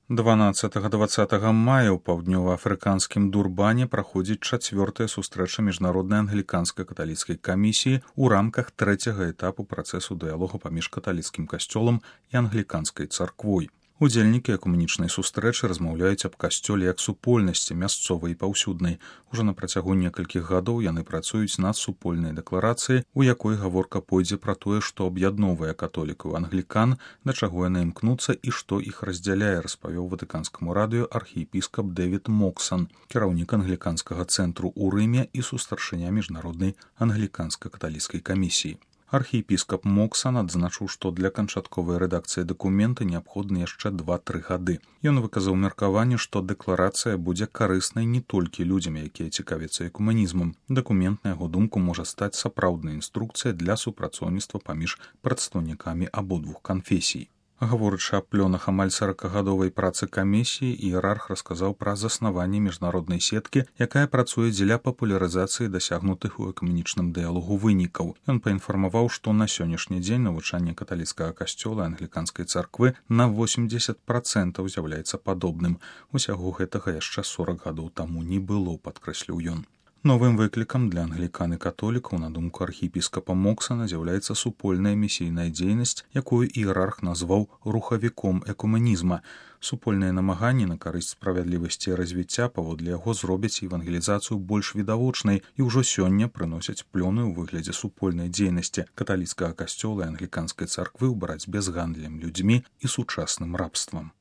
12-20 мая ў паўднёваафрыканскім Дурбане праходзіць 4-я сустрэча міжнароднай англіканскай каталіцкай камісіі ў рамках 3-го этапу працэсу дыялогу паміж каталіцкім касцёлам і англіканскай царквой. Удзельнікі экуменічнай сустрэчы размаўляюць аб касцёле як супольнасці мясцовай і паўсюднай. Ужо на працягу некалькіх гадоў яны працуюць над супольнай дэкларацыяй, у якой гаворка пойдзе пра тое, што аб'ядноўвае католікаў англікан, да чаго яны імкнуцца і што іх раздзяляе, распавёў ватыканскаму радыё архіепіскап Дэвід Моксан, кіраўнік англіканскага цэнтру ў Рыме і сустаршыня міжнароднай англіканска-каталіцкай камісіі. Архіепіскап Моксан адзначыў, што для канчатковай рэдакцыі дакумента неабходны яшчэ 2-3 гады. Ён выказаў меркаванне, што дэкларацыя будзе карыснай не толькі людзям, якія цікавяцца экуманізмам. Дакумент, на яго думку, можа стаць сапраўднай інструкцыяй для супрацоўніцтва паміж прадстаўнікамі абодвух канфесій. Гаворачы аб плёнах амаль 40гадовай працы камісіі, іерарх расказаў пра заснаванне міжнароднай сеткі, якая працуе дзеля папулярызацыі дасягнутых у экуменічным дыялогу вынікаў. Ён паінфармаваў, што на сённяшні дзень навучанне каталіцкага касцёла і англіканскай царквы на 80% з'яўляецца падобным. Усяго гэтага яшчэ 40 гадоў таму не было, падкрэсліў ён. Новым выклікам для англікан і католікаў, на думку архіепіскапа Моксана, з'яўляецца супольная місійная дзейнасць, якую іерарх назваў рухавіком экуменізма. Супольныя намаганні на карысць справядлівасці і развіцця паводле яго зробяць евангелізацыю больш відавочнай і ўжо сёння прыносяць плёны ў выглядзе супольнай дзейнасці каталіцкага касцёла і англіканскай царквы ў барацьбе з гандлем людзьмі і сучасным рабствам.